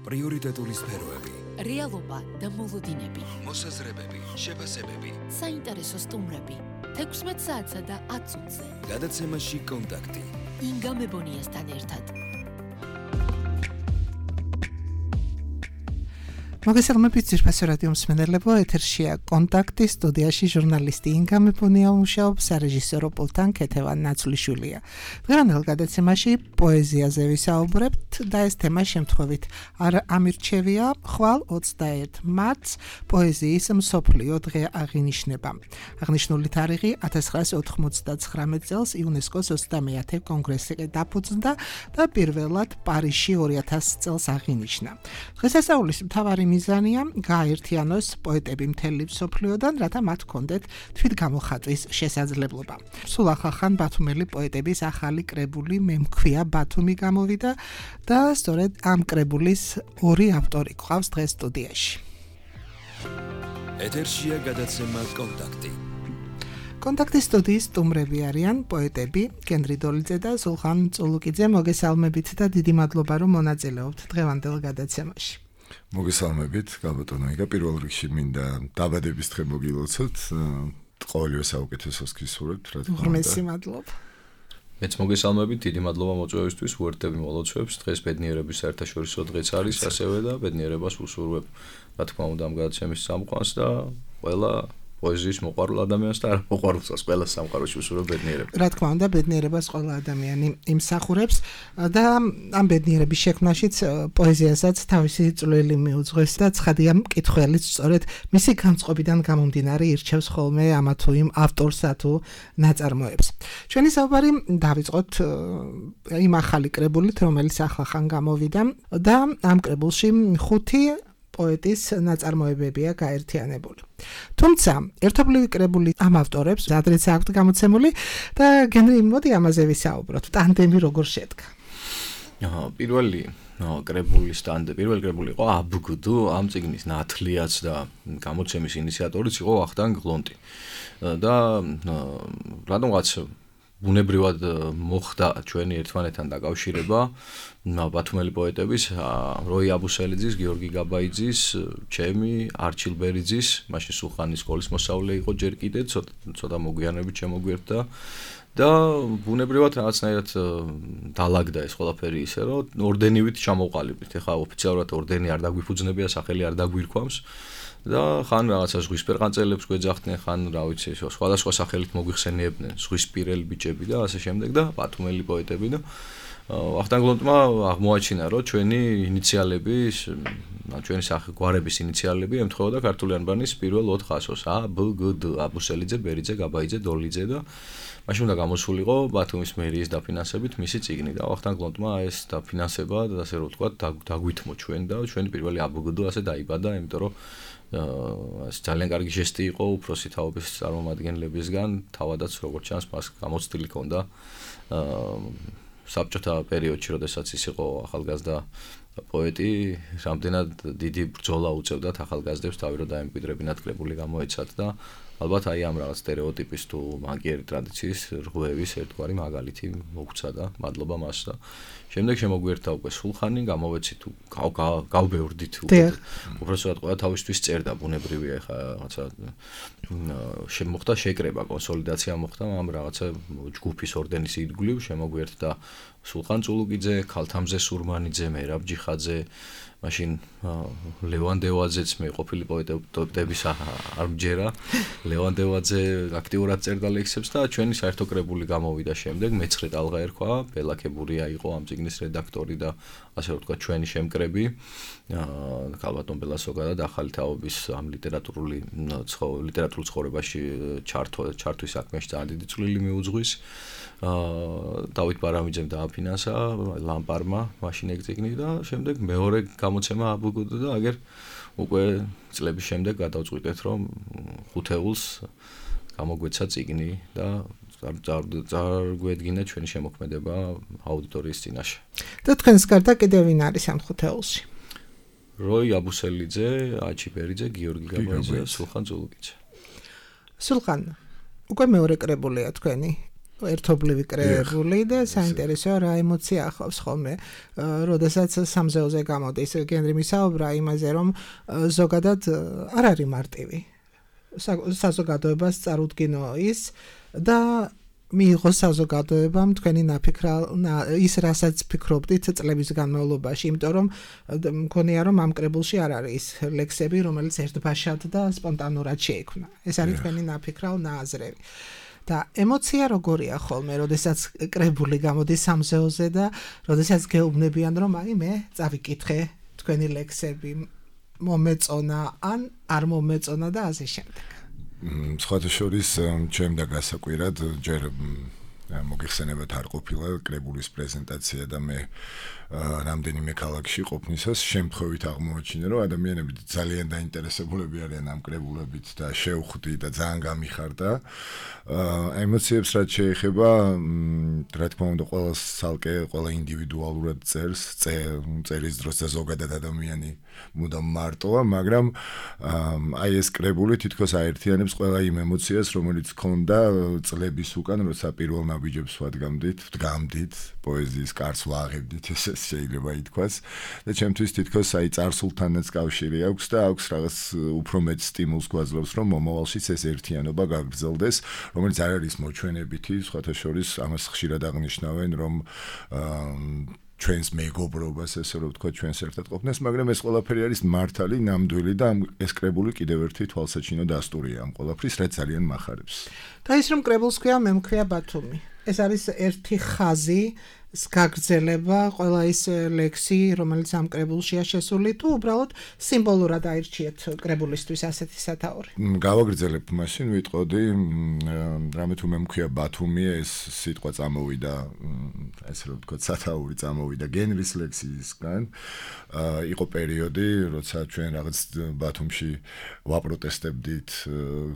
პრიორიტეტული სფეროები, რეალობა და მოლოდინები, მოსაზრებები, შეფასებები, საინტერესო სტუმრები, 16 საათსა და 10 წუთზე. გადაცემაში კონტაქტი. ინგა მებონიასთან ერთად. მოგესალმებით ძირფასო რადიო მსმენელებო, ეთერშია კონტაქტი, სტუდიაში ჟურნალისტი ინგა მებონია მუშაობს, სარეჟისორო პულტთან ქეთევან ნაცვლიშვილია. დღევანდელ გადაცემაში პოეზიაზე ვისაუბრებთ და ეს თემა შემთხვევით არ ამირჩევია. ხვალ 21 მარტს პოეზიის მსოფლიო დღე აღინიშნება. აღნიშნული თარიღი 1999 წელს იუნესკოს 21 კონგრესი დაფუძნდა და პირველად პარიზში 2000 წელს აღინიშნა. დღესასწაულის მთავარი მიზანია გააერთიანოს პოეტები მთელი მსოფლიოდან, რათა მათ ჰქონდეთ თვითგამოხატვის შესაძლებლობა. სულ ახალ ბათუმელი პოეტების ახალი კრებული მემქვია ბათუმი გამოვიდა და სწორედ ამ კრებულის ორი ავტორი გვყავს დღეს სტუდიაში. ეთერშია გადაცემა კონტაქტი. კონტაქტის სტუდიის სტუმრები არიან პოეტები გენრი დოლიძე და სულხან წულუკიძე. მოგესალმებით და დიდი მადლობა რომ მონაწილეობთ დღევანდელ გადაცემაში. მოგესალმებით, გაბატონო იგა, პირველ რიგში მინდა დაბადების დღე მოგილოცოთ. ყოველივე საუკეთესოს გისურვებთ, რა თქმა უნდა. ღმერთი მადლობა. მეც მოგესალმებით, დიდი მადლობა მოწვევისთვის, უერთდები მოლოცვებს. დღეს ბედნიერების საერთაშორისო დღეც არის ასევე და ბედნიერებას ვუსურვებ, რა თქმა უნდა, ამ გადაცემის სამყაროს და ყველა პოეზიის მოყვარულ ადამიანს და არ მოყვარულსაც ყველა სამყაროში ვუსურვებ ბედნიერებას. რა თქმა უნდა, ბედნიერებას ყველა ადამიანი იმსახურებს და ამ ბედნიერების შექმნაშიც პოეზიასაც თავისი წვლილი მიუძღვის და ცხადია მკითხველიც სწორედ მისი განწყობიდან გამომდინარე ირჩევს ხოლმე ამა თუ იმ ავტორსა თუ ნაწარმოებს. ჩვენი საუბარი დავიწყოთ იმ ახალი კრებულით, რომელიც ახლახან გამოვიდა და ამ კრებულში 5 პოეტის ნაწარმოებებია გაერთიანებული. თუმცა, ერთობლივი კრებული ამ ავტორებს ადრეც აქვთ გამოცემული და გენრი მოდი ამაზე ვისაუბროთ. ტანდემი როგორ შედგა? პირველი კრებული იყო აბგდუ, ამ წიგნის ნათლიაც და გამოცემის ინიციატორიც იყო ვახტანგ გლონტი. და რადგანაც ბუნებრივად მოხდა ჩვენი ერთმანეთთან დაკავშირება ბათუმელი პოეტების, როი აბუსელიძის, გიორგი გაბაიძის, ჩემი, არჩილ ბერიძის, მაშინ სულხანის სკოლის მოსწავლე იყო ჯერ კიდე, ცოტა მოგვიანებით შემოგვერთა და ბუნებრივად რაღაცნაირად დალაგდა ეს ყველაფერი ისე, რომ ორდენივით ჩამოვყალიბდით. ეხლა ოფიციალურად ორდენი არ დაგვიფუძნებია, სახელი არ დაგვირქვამს. და ხან რაღაცა ზღვისპირყანწელებს გვეძახდნენ, ხან რა ვიცი, სხვადასხვა სახელით მოგვიხსენიებდნენ, ზღვისპირელი ბიჭები და ასე შემდეგ და ბათუმელი პოეტები და ვახტანგ გლონტმა აღმოაჩინა, რომ ჩვენი ინიციალები, ჩვენი გვარების ინიციალები ემთხვეოდა ქართული ანბანის პირველ 4 ასოს: ა, ბ, გ, დ, აბუსელიძე, ბერიძე, გაბაიძე, დოლიძე და მაშინ უნდა გამოსულიყო ბათუმის მერიის დაფინანსებით მისი წიგნი და ვახტანგ გლონტმა ეს დაფინანსება და ასე რომ ვთქვათ დაგვითმო ჩვენ და ჩვენი პირველი აბგდ ასე დაიბადა, იმიტომ რომ ეს ძალიან კარგი ჟესტი იყო უფროსი თაობის წარმომადგენლებისგან, თავადაც როგორც ჩანს მას გამოცდილი ჰქონდა საბჭოთა პერიოდში, როდესაც ის იყო ახალგაზრდა პოეტი, რამდენად დიდი ბრძოლა უწევდათ ახალგაზრდებს თავი რომ დაემკვიდრებინათ კრებული გამოეცათ და ალბათ აი ამ რაღაც სტერეოტიპის თუ მაგიერი ტრადიციის რღვევის ერთგვარი მაგალითი მოგვცა და მადლობა მას და შემდეგ შემოგვერთა უკვე სულხანი, გამოვეცით თუ გავბევრდით უბრალოდ ყველა თავისთვის წერდა, ბუნებრივია ხა რაღაცა შემოხდა შეკრება, კონსოლიდაცია მოხდა ამ რაღაცა ჯგუფის ორდენის ირგვლივ, შემოგვერთა სულხან წულუკიძე, ქალთამზე სურმანიძე, მერაბ ჯიხაძე, მაშინ ლევან დევაძეც მე ყოფილი პოეტების არ მჯერა. ლევან დევაძე აქტიურად წერდა ლექსებს და ჩვენი საერთო კრებული გამოვიდა შემდეგ, მეცხრე ტალღა ერქვა, ბელაკებურია იყო ამ წიგნის რედაქტორი და ასე რომ ვთქვათ ჩვენი შემკრები. ქალბატონ ბელასოგა და ახალი თაობის ამ ლიტერატურულ ცხოვრებაში ჩართვის საქმეში ძალიან დიდი წვლილი მიუძღვის. დავით ბარამიძემ დააფინანსა ლამპარმა მაშინ ეგ წიგნი და შემდეგ მეორე გამოცემა აბგდ და აგერ უკვე წლების შემდეგ გადავწყვიტეთ რომ 5 ეულს გამოგვეცა წიგნი და წარგვედგინა ჩვენი შემოქმედება აუდიტორიის წინაშე. და თქვენს გარდა კიდევ ვინ არის ამ 5 ეულში? როი აბუსელიძე, აჩი ბერიძე, გიორგი გაბაიძე, სულხან წულუკიძე. სულხან, უკვე მეორე კრებულია თქვენი ერთობლივი კრებული და საინტერესოა რა ემოცია ახლავს ხოლმე. როდესაც სამზეოზე გამოდის გენრი მისაუბრა იმაზე, რომ ზოგადად არ არის მარტივი. საზოგადოებას წარუდგინო ის და მიიღო საზოგადოებამ თქვენი ის რასაც ფიქრობდით წლების განმავლობაში, იმიტომ რომ მგონია რომ ამ კრებულში არ არის ის ლექსები, რომელიც ერთბაშად და სპონტანურად შეიქმნა. ეს არის თქვენი ნაფიქრალ ნააზრევი. და ემოცია როგორია ხოლმე, როდესაც კრებული გამოდის სამზეოზე და როდესაც გეუბნებიან რომ აი მე წავიკითხე თქვენი ლექსები, მომეწონა ან არ მომეწონა და ასე შემდეგ. სხვათა შორის ჩემდა გასაკვირად ჯერ მოგიხსენებათ არ ყოფილა კრებულის პრეზენტაცია და მე რამდენიმე ქალაქში ყოფნისას შემთხვევით აღმოაჩინე რომ ადამიანები ძალიან დაინტერესებულები არიან ამ კრებულებით და შევხვდი და ძალიან გამიხარდა ემოციებს რაც შეეხება რა თქმა უნდა ყველა ცალკე ყველა ინდივიდუალურად წერის დროს და ზოგადად ადამიანი მუდამ მარტოა მაგრამ აი ეს კრებული თითქოს აერთიანებს ყველა იმ ემოციას რომელიც ქონდა წლების უკან როცა პირველ ნაბიჯებს ვდგამდით პოეზიის კარს ვაღებდით ეს შეიძლება ითქვას და ჩემთვის თითქოს აი წარსულთანაც კავშირი აქვს და აქვს რაღაც უფრო მეტ სტიმულს გვაძლევს რომ მომავალშიც ეს ერთიანობა გაგრძელდეს რომელიც არ არის მოჩვენებითი სხვათა შორის ამას ხშირად აღნიშნავენ რომ ჩვენს მეგობრობას ესე რომ ვთქვა ჩვენს ერთად ყოფნას მაგრამ ეს ყველაფერი არის მართალი ნამდვილი და ეს კრებული კიდევ ერთი თვალსაჩინო დასტურია ამ ყველაფრის რაც ძალიან მახარებს და ის რომ კრებულს ქვია მე მქვია ბათუმი ეს არის ერთი ხაზი გაგრძელება ყველა ის ლექსი რომელიც ამ კრებულშია შესული თუ უბრალოდ სიმბოლურად აირჩიეთ კრებულისთვის ასეთი სათაური გავაგრძელებთ მაშინ ვიტყოდი რამე თუ მე მქვია ბათუმი ეს სიტყვა წამოვიდა ესე რომ ვთქვა სათაური წამოვიდა გენრის ლექსისგან იყო პერიოდი როცა ჩვენ რაღაც ბათუმში ვაპროტესტებდით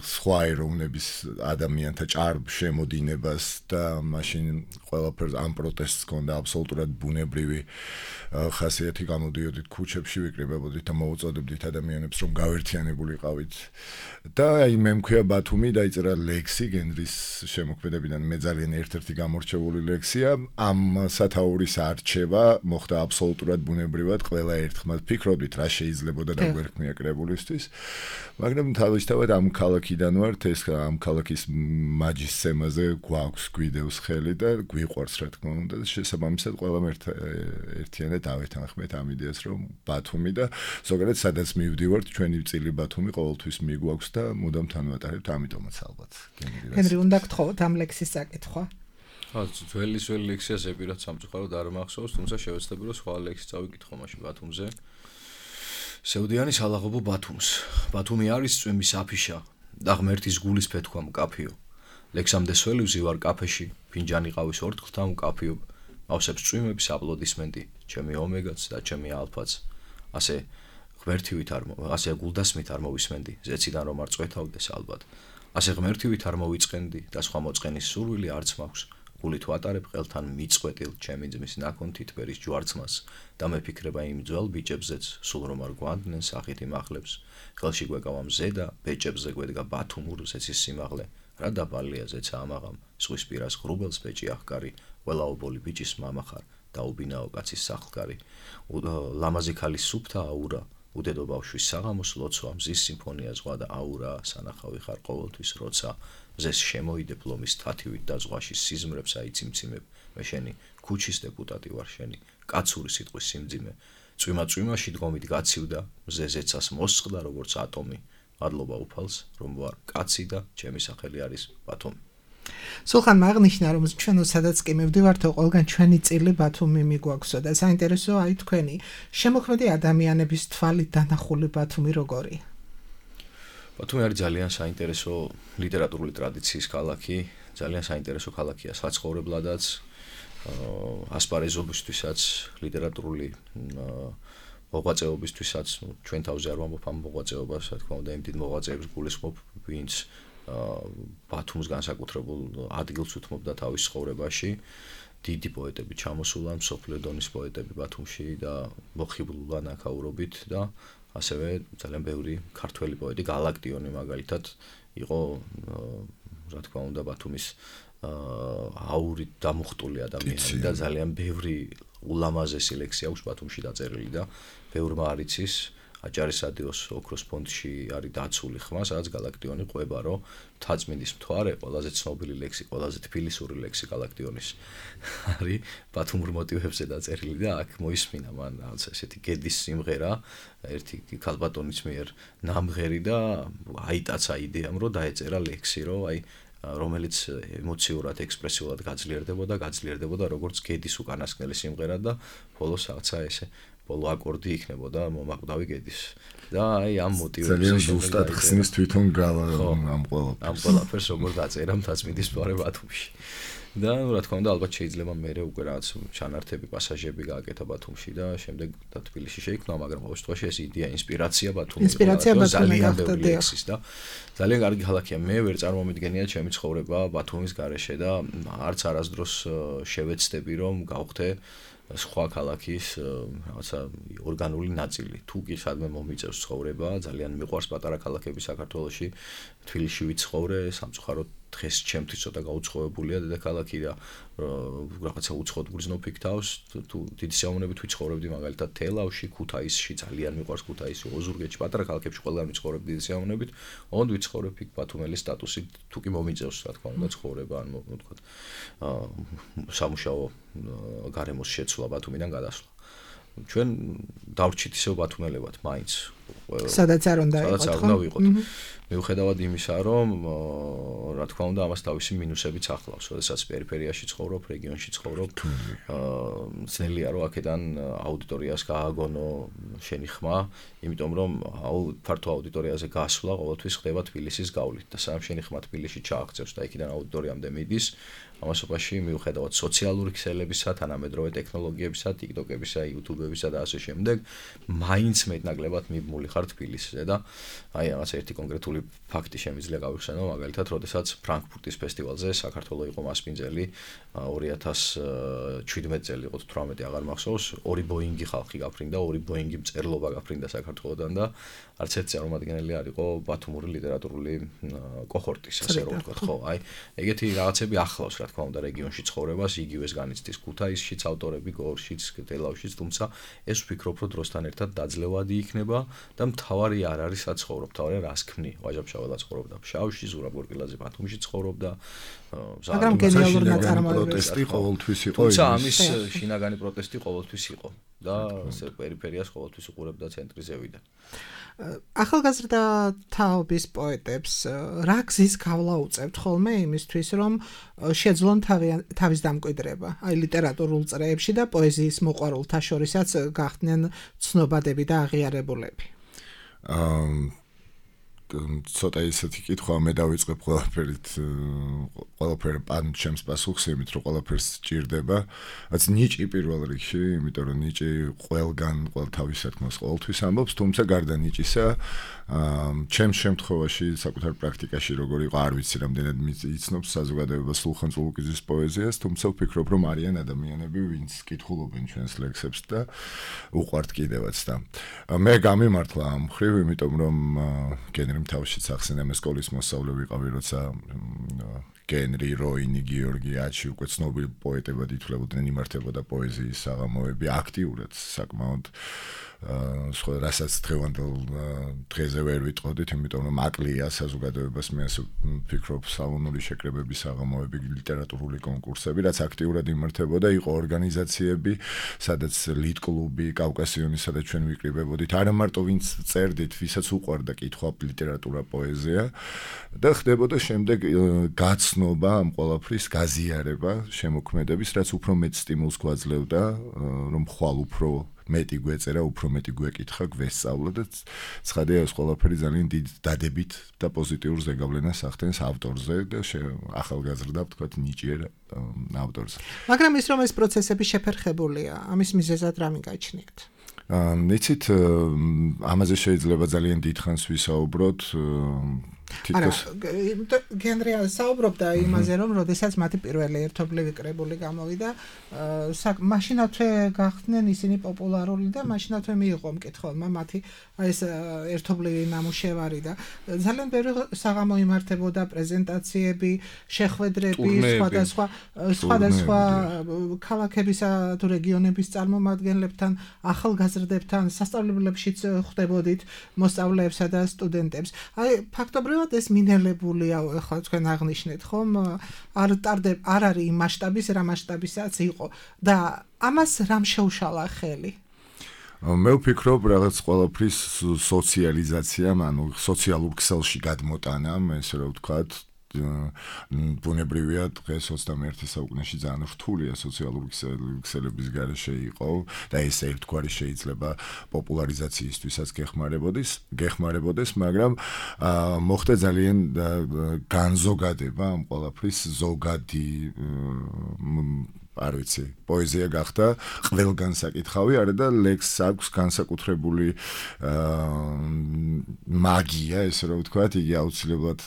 სხვა ეროვნების ადამიანთა ჭარბ შემოდინებას და მაშინ ყველაფერს ამ პროტესტს კონდა აბსოლუტურად ბუნებრივი ხასიათი გამოდიოდით ქუჩებში ვიკრიბებოდით და მოუწოდებდით ადამიანებს რომ გავერთიანებულიყავით და აი მე მქვია ბათუმი დაიწერა ლექსი გენრის შემოქმედებიდან მე ძალიან ერთ-ერთი გამორჩეული ლექსია ამ სათაურის არჩევა მოხდა აბსოლუტურად ბუნებრივად ყველა ერთხმად ფიქრობდით რა შეიძლებოდა და გვერდქმია კრებულისთვის მაგრამ თავისთავად ამ ქალაქიდან ვართ ეს ამ ქალაქის მაჯისცემაზე გვაქვს გვიდევს ხელი და გვიყვარს რა თქმა უნდა და შესაბამისად ყველამ ერთიანად ავეთანხმეთ ამ იდეას რომ ბათუმი და ზოგადად სადაც მივდივართ ჩვენი წილი ბათუმი ყოველთვის მიგვაქვს და მუდამ თანვატარებთ ამიტომაც ალბათ გენრი უნდა გთხოვოთ ამ ლექსის საკითხვა ძველი ლექსია ზეპირად სამწუხაროდ არ მახსოვს თუმცა შევეცდები რომ სხვა ლექსი წავიკითხო მაშინ ბათუმზე სევდიანის ალაღობო ბათუმს ბათუმი არის წვიმის აფიშა და ღმერთის გულის ფეთქვა მკაფიო ლექსამდე სველივზი ვარ კაფეში ფინჯანი ყავის ორთქლთა მკაფიო ავსებს წვიმების აპლოდისმენტი ჩემი ომეგაც და ჩემი ალფაც ასე ღმერთივით ასე გულდასმით არ მოვისმენდი ზეციდან რომ არ წვეთავდეს ალბათ ასე ღმერთივით არ მოვიწყენდი და სხვა მოწყენის სურვილი არც მაქვს გულით ვატარებ ყელთან მიწყვეტილ ჩემი ძმის ნაკონთით ბერის ჯვარცმას და მეფიქრება იმ ძველ ბიჭებზეც სულ რომ არ გვანდნენ სახით იმახლებს ხელში გვეკავა მზე და ბეჭებზე გვედგა ბათუმურ ზეცის სიმაღლე რა დაბალია ზეცა ამაღამ ზღვის პირას ღრუბელს ბეჭი ახკარი ყველაობოლი ბიჭის მამა ხარ და უბინაო კაცის სახლკარი ლამაზი ქალის სუფთა აურა უდედო ბავშვის საღამოს ლოცვა მზის სიმფონია ზღვა და აურა სანახავი ხარ ყოველთვის როცა მზეს შემოიდებ ლომის თათივით და ზღვაში სიზმრებს აიციმციმებ მე შენი ქუჩის დეპუტატი ვარ შენი კაცური სიტყვის სიმძიმე წვიმა-წვიმაში დგომით გაცივდა მზე ზეცას მოსწყდა როგორც ატომი მადლობა უფალს რომ ვარ კაცი და ჩემი სახელი არის ბათუმი სულხან აღნიშნა რომ ჩვენ სადაც კი მივდივართო ყველგან ჩვენი წილი ბათუმი მიგვაქვსო და საინტერესოა აი თქვენი შემოქმედი ადამიანების თვალით დანახული ბათუმი როგორია ბათუმი არის ძალიან საინტერესო ლიტერატურული ტრადიციის ქალაქი ძალიან საინტერესო ქალაქია საცხოვრებლადაც ასპარეზობისთვისაც ლიტერატურული მოღვაწეობისთვისაც ჩვენ თავზე არ ვამბობ ამ მოღვაწეობას რა თქმა უნდა იმ დიდ მოღვაწეებს გულისხმობ ვინც ბათუმს განსაკუთრებულ ადგილს უთმობდა თავის ცხოვრებაში დიდი პოეტები ჩამოსულან მსოფლიო დონის პოეტები ბათუმში და მოხიბლულან აქაურობით და ასევე ძალიან ბევრი ქართველი პოეტი გალაქტიონი მაგალითად იყო რა თქმა უნდა ბათუმის აურით დამუხტული ადამიანი და ძალიან ბევრი ულამაზესი ლექსი აქვს ბათუმში დაწერილი და ბევრმა არ იცის აჭარის რადიოს ოქროს ფონდში არის დაცული ხმა, სადაც გალაქტიონი ყვება, რომ მთაწმინდის მთვარე, ყველაზე ცნობილი ლექსი, ყველაზე თბილისური ლექსი გალაქტიონის არის ბათუმურ მოტივებზე დაწერილი და აქ მოისმინა მან რაღაც ესეთი გედის სიმღერა, ერთი ქალბატონის მიერ ნამღერი და აიტაცა იდეამ, რომ დაეწერა ლექსი, რომ აი რომელიც ემოციურად, ექსპრესიულად გაძლიერდებოდა როგორც გედის უკანასკნელი სიმღერა და ბოლოს რაღაცა ესე ბოლო აკორდი იქნებოდა მომაკვდავი გედის და აი ამ მოტივებზე ძალიან ზუსტად ხსნის თვითონ ამ ყველაფერს როგორ დაწერა მთაწმინდის მთვარე ბათუმში და რა თქმა უნდა ალბათ შეიძლება მე უკვე რაღაც ჩანართები პასაჟები გააკეთა ბათუმში და შემდეგ და თბილისში შეიქმნა მაგრამ ყოველ შემთხვევაში ეს იდეა ინსპირაცია ბათუმის ძალიან ბევრი ლექსის და ძალიან კარგი ქალაქია მე ვერ წარმომიდგენია ჩემი ცხოვრება ბათუმის გარეშე და არც არასდროს შევეცდები რომ გავხდე სხვა ქალაქის რაღაცა ორგანული ნაწილი. თუ კი სადმე მომიწევს ცხოვრება, ძალიან მიყვარს პატარა ქალაქები საქართველოში. თბილისში ვიცხოვრე, სამწუხაროდ დღეს ჩემთვის ცოტა გაუცხოებულია დედაქალაქი და რაღაცა უცხოდ გრძნობ იქ თავს. თუ დიდი სიამოვნებით ვიცხოვრებდი მაგალითად თელავში, ქუთაისში, ძალიან მიყვარს ქუთაისი, ოზურგეთში, პატარა ქალაქებში ყველგან ვიცხოვრებდი დიდი სიამოვნებით. ოღონდ ვიცხოვრებ იქ ბათუმელის სტატუსით, თუ კი მომიწევს, რა თქმა უნდა, ცხოვრება, ან ვთქვა, სამუშაო გარემოს შეცვლა ბათუმიდან გადასვლა. ჩვენ დავრჩით ისევ ბათუმელებად, მაინც. სადაც არ უნდა ვიყოთ. მიუხედავად იმისა, რომ რა თქმა უნდა, ამას თავისი მინუსებიც ახლავს. როდესაც პერიფერიაში ცხოვრობ, რეგიონში ცხოვრობ, ძნელია რომ აქედან აუდიტორიას გააგონო შენი ხმა, იმიტომ რომ ფართო აუდიტორიაზე გასვლა ყოველთვის ხდება თბილისის გავლით და სამ შენი ხმა თბილისში ჩააღწევს და იქიდან აუდიტორიამდე მიდის. ამასობაში მიუხედავად სოციალური ქსელებისა, თანამედროვე ტექნოლოგიებისა, TikTok-ებისა, YouTube-ებისა და ასე შემდეგ, მაინც მეტნაკლებად მიბმული ხარ თბილისზე და აი რაღაც ერთი კონკრეტული ფაქტი შემიძლია გავიხსენო, მაგალითად, როდესაც ფრანკფურტის ფესტივალზე საქართველოს იყო მასპინძელი 2017 წელი იყო 18 აღარ მახსოვს, 2 ბოინგი ხალხი გაფრინდა, 2 ბოინგი მწერლობა გაფრინდა საქართველოსთან და არც ერთი წარმომადგენელი არ იყო ბათუმური ლიტერატურული კოჰორტის, ასე რომ ვთქვათ, ხო, აი ეგეთი რაღაცები ახლავს რა თქმა უნდა რეგიონში ცხოვრებას, იგივეს განიცდის ქუთაისშიც ავტორები, გორშიც, თელავშიც, თუმცა ეს ვფიქრობ, რომ დროსთან ერთად დაძლევადი იქნება და მთავარი არ არის საცხოვრო, მთავარი რას ქმნი. ვაჟა-ფშაველა ცხოვრობდა ფშავში, ზურაბ გორკილაძე ბათუმში ცხოვრობდა. მაგრამ გენიალური ნაწარმოებები პროტესტი ყოველთვის იყო. თუმცა ამის შინაგანი პროტესტი ყოველთვის იყო და პერიფერიას ყოველთვის უყურებდა ცენტრი ზევიდან. ახალგაზრდა თაობის პოეტებს რა გზის გავლა უწევთ ხოლმე იმისთვის, რომ შეძლონ თავის დამკვიდრება, აი ლიტერატურულ წრეებში და პოეზიის მოყვარულთა შორისაც გახდნენ ცნობადები და აღიარებულები. ცოტა ისეთი კითხვა მე დავიწყებ ყველაფერი პან ჩემს პასუხს იმით რომ ყველაფერს სჭირდება რაც ნიჭი პირველ რიგში იმიტომ რომ ნიჭი ყველგან ყოველ თავის საქმეს ყოველთვის ამბობს თუმცა გარდა ნიჭისა ჩემს შემთხვევაში საკუთარ პრაქტიკაში როგორ იყო არ ვიცი რამდენად იცნობს საზოგადოებას სულხან წულუკიძის პოეზიას თუმცა ვფიქრობ რომ არიან ადამიანები ვინც კითხულობენ ჩვენს ლექსებს და უყვართ კიდევაც და მე გამიმართლა ამ მხრივ იმიტომ რომ გენერიმ თავშიც ახსენე მე სკოლის მოსწავლე ვიყავი როცა გენრი როინი გიორგი აჩი უკვე ცნობილი პოეტებად ითვლებოდნენ იმართებოდა პოეზიის საღამოები აქტიურად საკმაოდ სხვა რასაც დღევანდელ დღეზე ვერ ვიტყოდით იმიტომ რომ აკლია საზოგადოებას მე ასე ვფიქრობ სალონური შეკრებების საღამოები ლიტერატურული კონკურსები რაც აქტიურად იმართებოდა იყო ორგანიზაციები სადაც ლიტკლუბი კავკასიონი სადაც ჩვენ ვიკრიბებოდით არა მარტო ვინც წერდით ვისაც უყვარდა კითხვა ლიტერატურა პოეზია და ხდებოდა შემდეგ გაცნობა ამ ყველაფრის გაზიარება შემოქმედების რაც უფრო მეტ სტიმულს გვაძლევდა რომ ხვალ უფრო მეტი გვეწერა, უფრო მეტი გვეკითხა, გვესწავლა და ცხადია ეს ყველაფერი ძალიან დიდ დადებით და პოზიტიურ ზეგავლენას ახდენს ავტორზე და ახალგაზრდა ვთქვათ ნიჭიერ ავტორზე. მაგრამ ის რომ ეს პროცესები შეფერხებულია, ამის მიზეზად რა მიგაჩნიათ? იცით, ამაზე შეიძლება ძალიან დიდხანს ვისაუბროთ. თითქოს გენრი საუბრობდა იმაზე, რომ როდესაც მათი პირველი ერთობლივი კრებული გამოვიდა, მაშინათვე გახდნენ ისინი პოპულარული და მაშინათვე მიიღო მკითხველმა მათი ეს ერთობლივი ნამუშევარი და ძალიან ბევრი საღამო იმართებოდა პრეზენტაციები, შეხვედრები, სხვადასხვა ქალაქებისა თუ რეგიონების წარმომადგენლებთან, ახალგაზრდებთან, სასწავლებლებშიც ხვდებოდით მოსწავლეებსა და სტუდენტებს. აი, ფაქტობრივად ეს მინელებულია, ახლა თქვენ აღნიშნეთ, ხომ? არ არის იმ მასშტაბის, რა მასშტაბისაც იყო და ამას რამ შეუშალა ხელი? მე ვფიქრობ, რაღაც ყველაფრის სოციალიზაცია, ანუ სოციალურ ქსელში გადმოტანა, ესე რომ ვთქვათ, ბუნებრივია დღეს 21 საუკუნეში ძალიან რთულია სოციალური ქსელების გარეშე იყო და ეს ერთგვარი შეიძლება პოპულარიზაციისთვისაც გეხმარებოდეს, მაგრამ მოხდა ძალიან განზოგადება ამ ყველაფრის ზოგადი არ ვიცი, პოეზია გახდა ყველგან საკითხავი, არა და ლექსს აქვს განსაკუთრებული მაგია, ესე რომ ვთქვათ, იგი აუცილებლად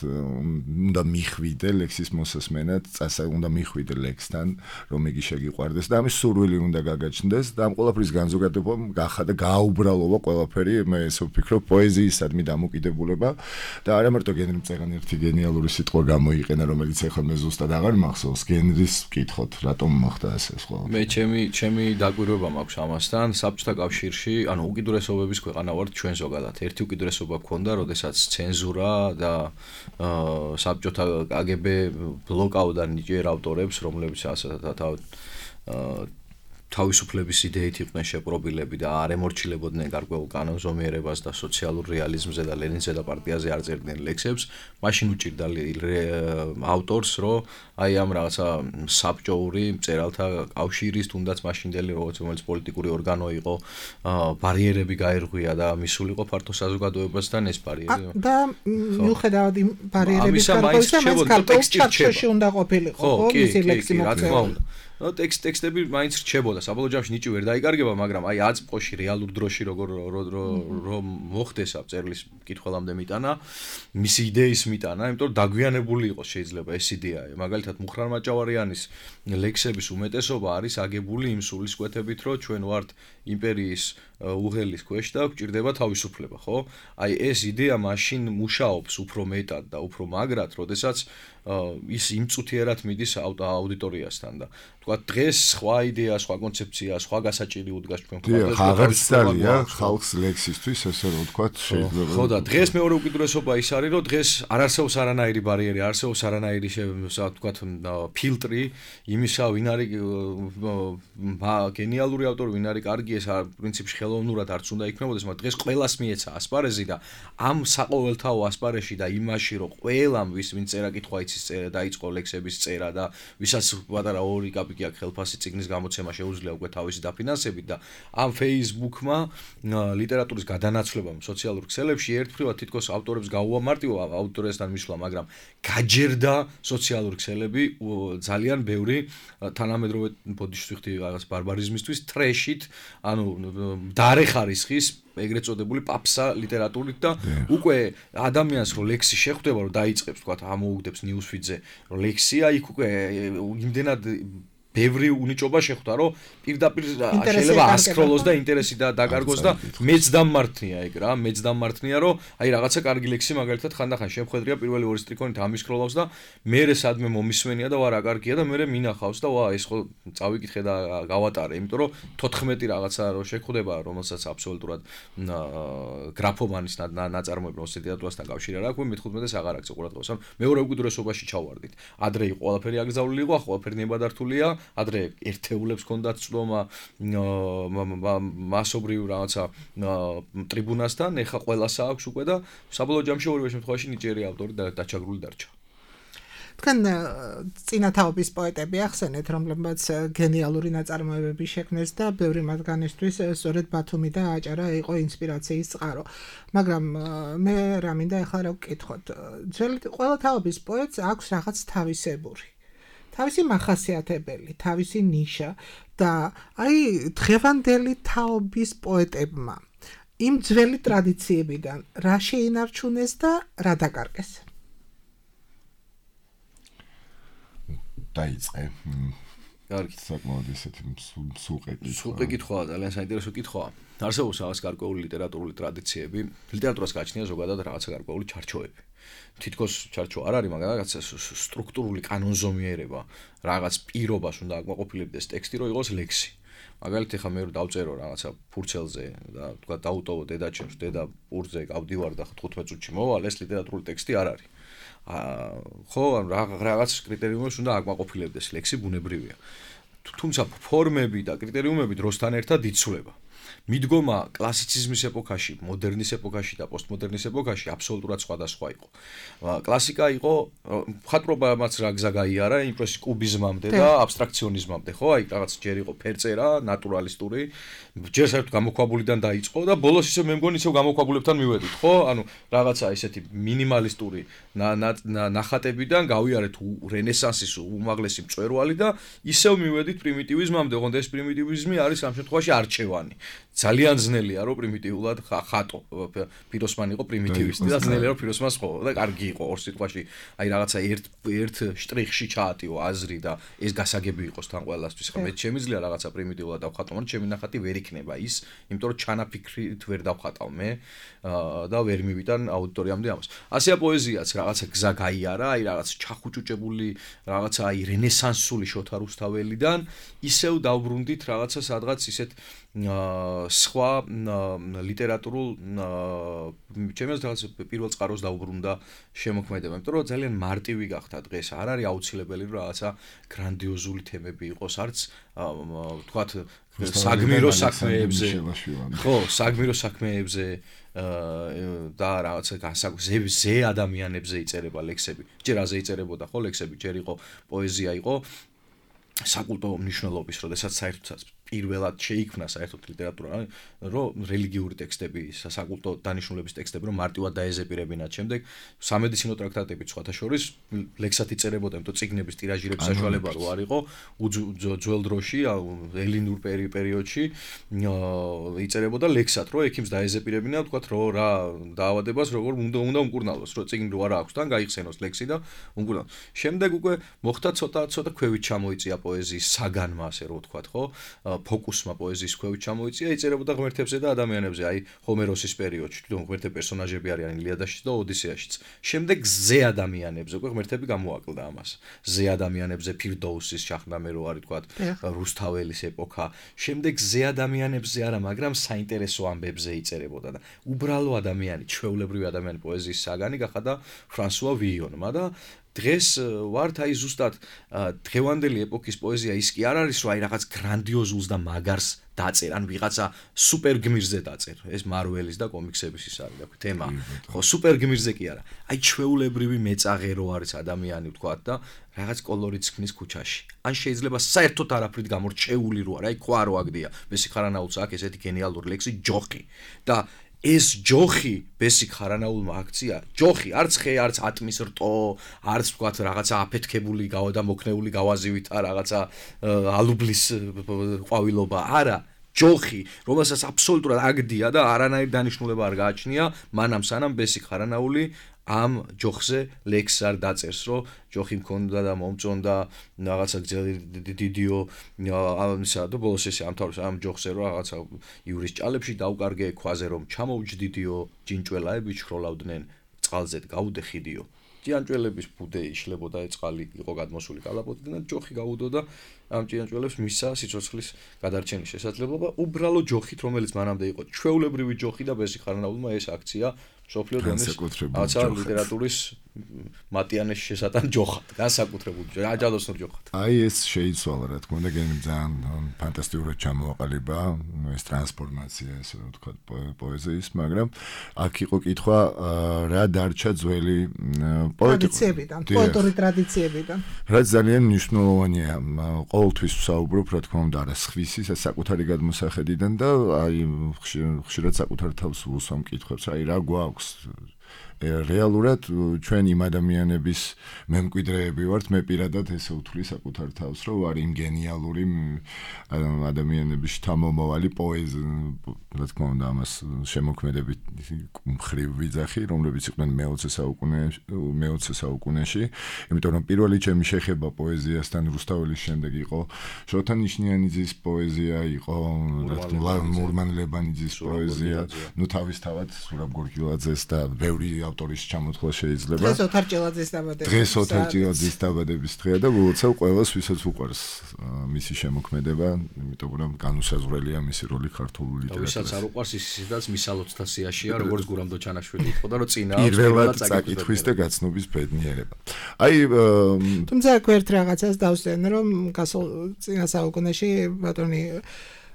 უნდა მიხვიდე ლექსის მოსასმენად, უნდა მიხვიდე ლექსთან, რომ იგი შეგიყვარდეს და ამის სურვილი უნდა გაგაჩნდეს და ამ ყველაფრის განზოგადება გახადა გაუბრალოვა ყველაფერი, მე ესე ვფიქრობ, პოეზიისადმი დამოკიდებულება და არა მარტო გენრი მწერანი ერთი გენიალური სიტყვა გამოიყენა, რომელიც ახლა მე ზუსტად აღარ მახსოვს, გენრის ვკითხოთ, რატომ მოხდა მე ჩემი დაკვირვება მაქვს ამასთან საბჭოთა კავშირში, ანუ უკიდურესობების ქვეყანა ვართ ჩვენ ზოგადად. ერთი უკიდურესობა გქონდა, როდესაც ცენზურა და საბჭოთა KGB ბლოკავდა ნიჭიერ ავტორებს, რომლებიც თავისუფლების იდეით იყვნენ შეპრობილები და არ ემორჩილებოდნენ გარკვეულ კანონზომიერებას და სოციალურ რეალიზმზე და ლენინზე და პარტიაზე არ წერდნენ ლექსებს, მაშინ უჭირდა ავტორს, რომ აი ამ რაღაცა საბჭოური მწერალთა კავშირის თუნდაც მაშინდელი რომელიც პოლიტიკური ორგანო იყო, ბარიერები გაერღვია და მისულიყო ფართო საზოგადოებასთან ეს ბარიერი. და მიუხედავად იმ ბარიერების გარკვევისა, მას გარკვეულ ჩარჩოში უნდა ყოფილიყო, ხო, მისი ლექსი მოწერილი. ტექსტები მაინც რჩებოდა, საბოლოო ჯამში ნიჭი ვერ დაიკარგება, მაგრამ აი აწმყოში რეალურ დროში რომ მოხდეს ამ წერლის მკითხველამდე მიტანა, მისი იდეის მიტანა, იმიტომ რომ დაგვიანებული იყოს შეიძლება ეს იდეა. მაგალითად მუხრან მაჭავარიანის ლექსების უმეტესობა არის აგებული იმ სულისკვეთებით, რომ ჩვენ ვართ იმპერიის უღელის ქვეშ და გვჭირდება თავისუფლება, ხო? აი ეს იდეა მაშინ მუშაობს უფრო მეტად და უფრო მაგრად, როდესაც ის იმწუთიერად მიდის აუდიტორიასთან და თქვა დღეს სხვა იდეა, სხვა კონცეფცია, სხვა გასაჭირი უდგას ჩვენ ქვეყანას. აღარ სწორია ხალხს ლექსისთვის, ესე რომ ვთქვათ, შეიძლება. ხო და დღეს მეორე უკიდურესობა ის არის, რომ დღეს არ არსებობს არანაირი ბარიერი, არსებობს არანაირი ვთქვათ ფილტრი იმისა, ვინ არის გენიალური ავტორი, ვინ არის კარგი, ეს პრინციპში ხელოვნურად არც უნდა იქნებოდეს, მაგრამ დღეს ყველას მიეცა ასპარეზი და ამ საყოველთაო ასპარეზში და იმაში, რომ ყველამ ვინ წერა კითხვა იცის წერა დაიწყო ლექსების წერა და ვისაც პატარა 2 კაპიკი აქვს ხელფასი წიგნის გამოცემა შეუძლია უკვე თავისი დაფინანსებით და ამ Facebook-მა ლიტერატურის გადანაცვლებამ სოციალურ ქსელებში ერთფრივად თითქოს ავტორებს გაუამარტივა ავტორესთან მისვლა, მაგრამ გაჯერდა სოციალური ქსელები ძალიან ბევრი თანამედროვე ბოდიშტვიხტი რაღაც ბარბარიზმისთვის ტრეშით, ანუ დარე ხარისხის ეგრეთ წოდებული პაპსა ლიტერატურით და უკვე ადამიანს რო ლექსი შეხვდება, რომ დაიწყებს, თქვა, ამოუგდებს ნიუსფიდზე, რომ ლექსია, იქ უკვე იმდენად ბევრი უნიჭობა შეხვდა, რომ პირდაპირ შეიძლება ასკროლოს და ინტერესი და დაკარგოს და მეც დამმართნია ეგ რა, რომ აი რაღაცა კარგი ლექსი მაგალითად ხანდახან შემხედრია პირველი ორი სტრიქონით ამისკროლავს და მერე სადმე მომისმენია და ვარა კარგია და მერე მინახავს და ვა ეს ხო წავიკითხე და გავატარე, იმიტომ რომ 14 რაღაცა რო შეხვდება, რომელსაც აბსოლუტურად გრაფომანის ნაწარმოები ლიტერატურასთან კავშირი არ აქვს, მე-15-ს აღარ აქვს ყურადღებას. მეორე უკიდურესობაში ჩავარდით. ადრე იყო ყველაფერი აკრძალული იყო, ახლა ყველაფერი ნებადართულია. ადრე ერთეულებს ჰქონდათ წვდომა მასობრივ რაღაცა ტრიბუნასთან, ეხა ყველასა აქვს უკვე და საბოლოო ჯამში ორივე შემთხვევაში ნიჭიერი ავტორი დაჩაგრული დარჩა. თქვენ წინათაობის პოეტები ახსენეთ, რომლებმაც გენიალური ნაწარმოებები შექმნეს და ბევრი მათგანისთვის სწორედ ბათუმი და აჭარა იყო ინსპირაციის წყარო. მაგრამ მე რა მინდა ახლა რა ვკითხოთ. ძველი ყველა თაობის პოეტს აქვს რაღაც თავისებური. თავისი მახასიათებელი, თავისი ნიშა და აი დღევანდელი თაობის პოეტებმა იმ ძველი ტრადიციებიდან რა შეინარჩუნეს და რა დაკარგეს? დაიწყე. კარგი. საკმაოდ ისეთი მსუყე კითხვაა, ძალიან საინტერესო კითხვაა. არსებობს რაღაც გარკვეული ლიტერატურული ტრადიციები, ლიტერატურას გააჩნია ზოგადად რაღაცა გარკვეული ჩარჩოები. თითქოს ჩარჩო არ არის, მაგრამ რაღაც სტრუქტურული კანონზომიერება, რაღაც პირობას უნდა აკმაყოფილებდეს ტექსტი, რომ იყოს ლექსი. მაგალითად, ხა მე დავწერო რაღაცა ფურცელზე და თქვა დაუტოვო დედაჩემს, დედა პურზე გავდივარ და 15 წუთში მოვალ, ეს ლიტერატურული ტექსტი არ არის. ხო, რაღაც კრიტერიუმებს უნდა აკმაყოფილებდეს ლექსი, ბუნებრივია. თუმცა ფორმები და კრიტერიუმები დროსთან ერთად იცვლება. მიდგომა კლასიციზმის ეპოქაში, მოდერნის ეპოქაში და პოსტმოდერნის ეპოქაში აბსოლუტურად სხვადასხვა იყო. კლასიკა იყო, მხატვრობამაც რა გზა გაიარა, იმ პროცესში კუბიზმამდე და აბსტრაქციონიზმამდე, ხო? აი რაღაც ჯერ იყო ფერწერა, ნატურალისტური, ჯერ საერთოდ გამოქვაბულიდან დაიწყო და ბოლოს ისე მე მგონი ისევ გამოქვაბულებთან მივედით, ხო? ანუ რაღაცა ისეთი მინიმალისტური ნახატებიდან გავიარეთ რენესანსის უმაღლესი მწვერვალი და ისევ მივედით პრიმიტივიზმამდე, ოღონდ ეს პრიმიტივიზმი არის ამ შემთხვევაში არჩევანი. ძალიან ძნელია რომ პრიმიტიულად ხატო. პიროსმანი იყო პრიმიტივისტი და ძნელია რომ პიროსმანს ხო და კარგი იყო ორ სიტყვაში. აი რაღაცა ერთ შტრიხში ჩაატიო აზრი და ეს გასაგები იყოს თან ყველასთვის. ხა მე შემიძლია რაღაცა პრიმიტიულად დავხატო, მაგრამ ჩემი ნახატი ვერ იქნება ის, იმიტომ რომ ჩანაფიქრით ვერ დავხატავ მე და ვერ მივიტან აუდიტორიამდე ამას. ასეა პოეზიაც რაღაცა გზა გაიარა, აი რაღაც ჩახუჭუჭებული რაღაცა აი რენესანსული შოთა რუსთაველიდან ისევ დავბრუნდით რაღაცა სადღაც ისეთ სხვა ლიტერატურულ ჩემს რაღაც პირველ წყაროს დაუბრუნდა შემოქმედება, იმიტომ რომ ძალიან მარტივი გახდა დღეს. არ არის აუცილებელი რომ რაღაცა გრანდიოზული თემები იყოს, არც თქვათ საგმირო საქმეებზე. ხო, საგმირო საქმეებზე და რაღაცა ზე ადამიანებზე იწერება ლექსები. ჯერ აზე იწერებოდა ხო ლექსები, ჯერ იყო პოეზია იყო საკულტო მნიშვნელობის, როდესაც საერთოდ პირველად შეიქმნა საერთოდ ლიტერატურა, რომ რელიგიური ტექსტები, საკულტო დანიშნულების ტექსტები რომ მარტივად დაეზეპირებინათ. შემდეგ სამედიცინო ტრაქტატები სხვათა შორის ლექსად იწერებოდა, იმიტომ წიგნების ტირაჟირების საშუალება რო არ იყო ძველ დროში, ელინურ პერიოდში იწერებოდა ლექსად, რომ ექიმს დაეზეპირებინა, თქვათ რომ რა დაავადებას როგორ უნდა უმკურნალოს, რომ წიგნი რო არ აქვს, თან გაიხსენოს ლექსი და უმკურნალოს. შემდეგ უკვე მოხდა ცოტა ქვევით ჩამოიწია პოეზიის საგანმა, ასე რომ ვთქვათ, ხო? ფოკუსმა პოეზიის ქვევით ჩამოიწია, იწერებოდა ღმერთებზე და ადამიანებზე, აი ჰომეროსის პერიოდში, თვითონ ღმერთები პერსონაჟები არიან ილიადაშიც და ოდისეაშიც. შემდეგ ზე ადამიანებზე, უკვე ღმერთები გამოაკლდა ამას. ზე ადამიანებზე ფირდოუსის შაჰნამე რო არის, თქვათ, რუსთაველის ეპოქა. შემდეგ ზე ადამიანებზე არა, მაგრამ საინტერესო ამბებზე იწერებოდა და უბრალო ადამიანი, ჩვეულებრივი ადამიანი პოეზიის საგანი გახადა ფრანსუა ვიონმა და დღეს ვართ აი ზუსტად დღევანდელი ეპოქის პოეზია ის კი არ არის რომ აი რაღაც გრანდიოზულს და მაგარს დაწერ, ან ვიღაცა სუპერ გმირზე დაწერ. ეს მარველის და კომიქსების ის არის, თქვი, თემა. ხო, სუპერ გმირზე კი არა. აი ჩვეულებრივი მეწაღე რო არის ადამიანი, ვთქვათ და რაღაც კოლორიტს ქმნის ქუჩაში. ან შეიძლება საერთოდ არაფრით გამორჩეული რო არა, აი ყვა რო აგდია. ბესი ხარანაულს აქვს ესეთი გენიალური ლექსი ჯოხი და ეს ჯოხი ბესიკ ხარანაულმა აქცია, ჯოხი არც ხე, არც ატმის რტო, არც ვთქვათ რაღაცა აფეთქებული და მოქნეული გავაზივით, რაღაცა ალუბლის ყვავილობა, არა, ჯოხი, რომელსაც აბსოლუტურად აგდია და არანაირი დანიშნულება არ გააჩნია, მანამ სანამ ბესიკ ხარანაული ამ ჯოხზე ლექსს არ დაწერს, რომ ჯოხი მქონდა და მომწონდა რაღაცა დიდიო ამისა და ბოლოს ესე ამთავრებს ამ ჯოხზე რომ რაღაცა ივრის ჭალებში დაუკარგე ქვაზე რომ ჩამოუჯდიდიო ჯინჭველაები ჩხროლავდნენ წყალზე გაუდე ხიდიო. ჭიანჭველების ბუდე იშლებოდა წყალი იყო გადმოსული კალაპოტიდან და ჯოხი გაუდო და ამ ჭიანჭველებს მისცა სიცოცხლის გადარჩენის შესაძლებლობა უბრალო ჯოხით, რომელიც მანამდე იყო ჩვეულებრივი ჯოხი და ბესი ხარანაულმა ეს აქცია სოფლიო დონის რაღაცა ლიტერატურის მატიანეს შესატან ჯოხად, განსაკუთრებული აჯალოსნურ ჯოხად. აი ეს შეიცვალა, რა თქმა უნდა, გენიმ ძალიან ფანტასტიკურად ჩამოაყალიბა ეს ტრანსფორმაცია, ესე რომ ვთქვათ, პოეზიის, მაგრამ აქ იყო კითხვა, რა დარჩა ძველი ტრადიციებიდან, პოეტური ტრადიციებიდან. რაც ძალიან მნიშვნელოვანია, ყოველთვის ვსაუბრობ, რა თქმა უნდა, არა სხვისი, საკუთარი გადმოსახედიდან და აი ხშირად საკუთარ თავს ვუსვამ კითხვებს, აი რა გვაქვს რეალურად ჩვენ იმ ადამიანების მემკვიდრეები ვართ, მე პირადად ესე ვთვლი საკუთარ თავს, რომ არ იმ გენიალური ადამიანების შთამომავალი პოეზი, რა თქმა უნდა, ამას შემოქმედებით მხრივ ვიძახი, რომლებიც იყვნენ მე-20 საუკუნეში, იმიტომ რომ პირველი ჩემი შეხება პოეზიასთან რუსთაველის შემდეგ იყო შოთა ნიშნიანიძის პოეზია, იყო მურმან-ლებანიძის პოეზია, ნუ თავისთავად სურაბ გორგილაძეს და ბევრი ავტორის ჩამოთვლა შეიძლება. დღეს ოთარ ჭილაძის დაბადების დღეა და უცებ ყველას ვისაც უყვარს მისი შემოქმედება, იმიტომ რომ განუსაზღვრელია მისი როლი ქართულ ლიტერატურაში. ვისაც არ უყვარს ისაც მისალოცთა სიაშია, როგორც გურამ დოჩანაშვილი იყო და რომ წინა პირველად წაკითხვის და გაცნობის ბედნიერება. აი თუმცა ერთ რაღაცას დავსვენ რომ წინა საუკუნეში ბატონი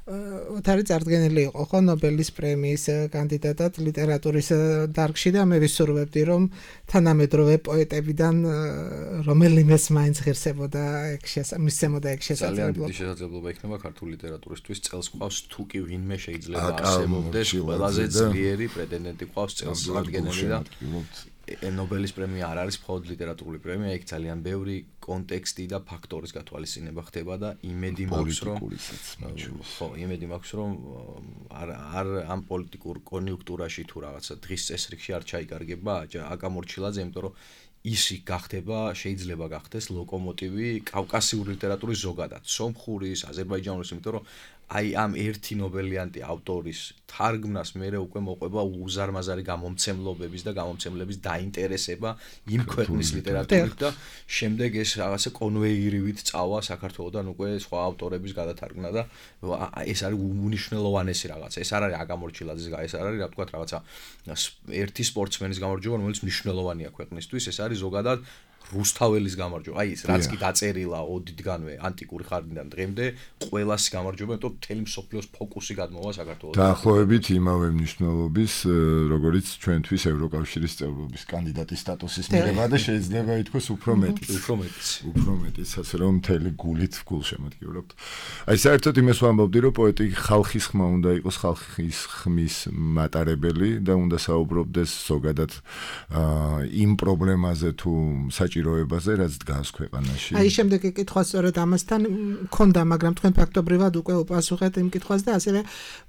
ოთარი წარდგენილი იყო ხო ნობელის პრემიის კანდიდატად ლიტერატურის დარგში და მე ვისურვებდი რომ თანამედროვე პოეტებიდან რომელიმეს მაინც ღირსებოდა მისცემოდა ეგ შესაძლებლობა. ძალიან დიდი შესაძლებლობა იქნება ქართული ლიტერატურისთვის წელს ყავს თუ კი ვინმე შეიძლება არსებობდეს ყველაზე ძლიერი პრეტენდენტი ყავს წელს წარდგენილი და ნობელის პრემია არ არის მხოლოდ ლიტერატურული პრემია, იქ ძალიან ბევრი კონტექსტი და ფაქტორის გათვალისწინება ხდება და იმედი მაქვს რომ არ ამ პოლიტიკურ კონიუნქტურაში თუ რაღაცა დღის წესრიგში არ ჩაიკარგება აკა მორჩილაძე, იმიტომ რომ ისი გახდება, შეიძლება გახდეს ლოკომოტივი კავკასიური ლიტერატურის ზოგადად, სომხურის, აზერბაიჯანურის, იმიტომ რომ აი ამ ერთი ნობელიანტი ავტორის თარგმნას მერე უკვე მოყვება უზარმაზარი გამომცემლობების და გამომცემლების დაინტერესება იმ ქვეყნის ლიტერატურით და შემდეგ ეს რაღაცა კონვეირივით წავა საქართველოდან უკვე სხვა ავტორების გადათარგმნა და ეს არის უნიშნელოვანესი რაღაცა. ეს არ არის აგამორჩილაძის ეს არ არის რა ვთქვათ რაღაცა ერთი სპორტსმენის გამარჯვება, რომელიც მნიშვნელოვანია ქვეყნისთვის, ეს არის ზოგადად რუსთაველის გამარჯვება. აი ეს რაც კი დაწერილა ოდითგანვე ანტიკური ხანიდან დღემდე ყველას გამარჯვება, იმიტომ რომ მთელი მსოფლიოს ფოკუსი გადმოვა საქართველოს. დაახლოებით იმავე მნიშვნელობის, როგორც ჩვენთვის ევროკავშირის წევრობის კანდიდატის სტატუსის მიღება და შეიძლება ითქვას უფრო მეტიც, ასე რომ მთელი გულით გულშემატკივრობთ. აი საერთოდ იმას ვამბობდი, რომ პოეტი ხალხის ხმა უნდა იყოს, ხალხის ხმის მატარებელი და უნდა საუბრობდეს ზოგადად იმ პრობლემაზე თუ საჭიროებაზე, რაც დგას ქვეყანაში. აი შემდეგი კითხვა სწორედ ამასთან მქონდა, მაგრამ თქვენ ფაქტობრივად უკვე უპასუხეთ იმ კითხვას და ასევე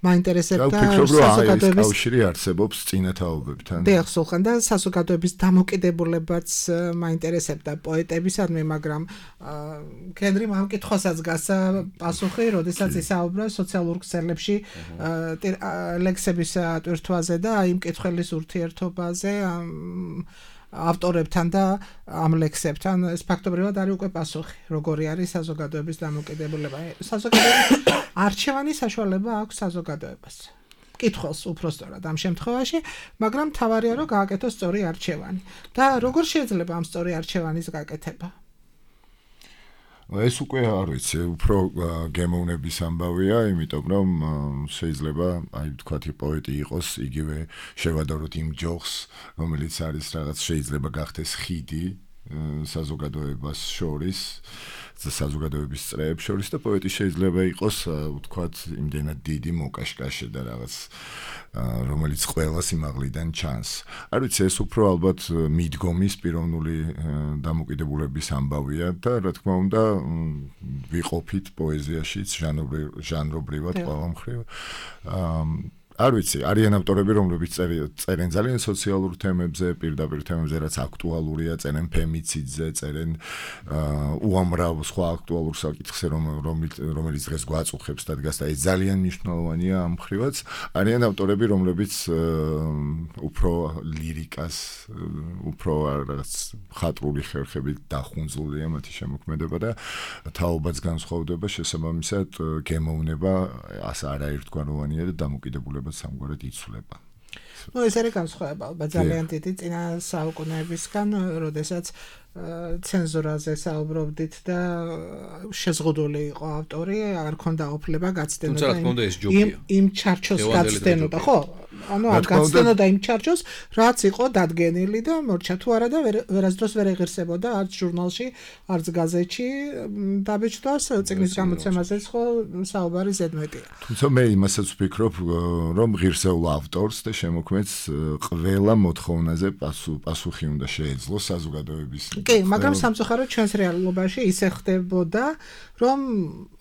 მაინტერესებდა საზოგადოების კავშირი არსებობს წინათაობებთან. დიახ, სულხან და საზოგადოების დამოკიდებულებაც მაინტერესებდა პოეტებისადმი, მაგრამ კენრიმ ამ კითხვასაც გასცა პასუხი, როდესაც ისაუბრა სოციალურ ქსელებში ლექსების ატვირთვაზე და იმ კითხველის ურთიერთობაზე ავტორებთან და ამ ლექსებთან. ეს ფაქტობრივად არის უკვე პასუხი, როგორი არის საზოგადოების დამოკიდებულება. საზოგადოების არჩევანი საშუალება აქვს საზოგადოებას. კითხავს უფრო სწორად ამ შემთხვევაში, მაგრამ თავარია რომ გააკეთოს სწორი არჩევანი. და როგორ შეიძლება ამ სწორი არჩევანის გაკეთება? ეს უკვე არ ვიცი, უფრო გემოვნების ამბავია, იმიტომ რომ შეიძლება, აი ვთქვათ, პოეტი იყოს, იგივე შევადაროთ იმ ჯოხს, რომელიც არის რაღაც შეიძლება გახდეს ხიდი საზოგადოებას შორის, საზოგადოების წრეებს შორის და პოეტი შეიძლება იყოს, ვთქვათ, იმდენად დიდი მოკაშკაშე და რაღაც რომელიც ყველას იმაღლიდან ჩანს. არ ვიცი, ეს უფრო ალბათ მიდგომის პიროვნული დამოკიდებულების ამბავია და რა თქმა უნდა ვიყოფით პოეზიაშიც ჟანრობრივად ყველა მხრივ. არ ვიცი, არიან ავტორები, რომლებიც წერენ ძალიან სოციალურ თემებზე, პირდაპირ თემებზე, რაც აქტუალურია, წერენ ფემიციდზე, წერენ უამრავ სხვა აქტუალურ საკითხზე, რომელიც დღეს გვაწუხებს და დგას და ეს ძალიან მნიშვნელოვანია ამ მხრივაც. არიან ავტორები, რომლებიც უფრო ლირიკას, უფრო რაღაც ხატრული ხერხებით დახუნძლულია მათი შემოქმედება და თაობაც განსხვავდება, შესაბამისად გემოვნება არაერთგვაროვანია და დამოკიდებულება სამგვარად იცვლება. ეს არის განსხვავება, ალბათ ძალიან დიდი წინა საუკუნეებისგან, როდესაც ცენზურაზე საუბრობდით და შეზღუდული იყო ავტორი, არ ქონდა ოფლება გაცდენა და იმ ჩარჩოს გაცდენა, ხო? ანუ არ გაცდენოდა იმ ჩარჩოს, რაც იყო დადგენილი და მორჩა თუ არა და ვერასდროს ვერ ეღირსებოდა არც ჟურნალში, არც გაზეთში. დაბეჭდავს წიგნის გამოცემაზეც ხო საუბარი ზედმეტია. თუმცა მე იმასაც ვფიქრობ, რომ ღირსეულ ავტორს და შემოქმედს ყველა მოთხოვნაზე პასუხი უნდა შეეძლოს საზოგადოების. კი, მაგრამ სამწუხაროდ ჩვენს რეალობაში ისე ხდებოდა, რომ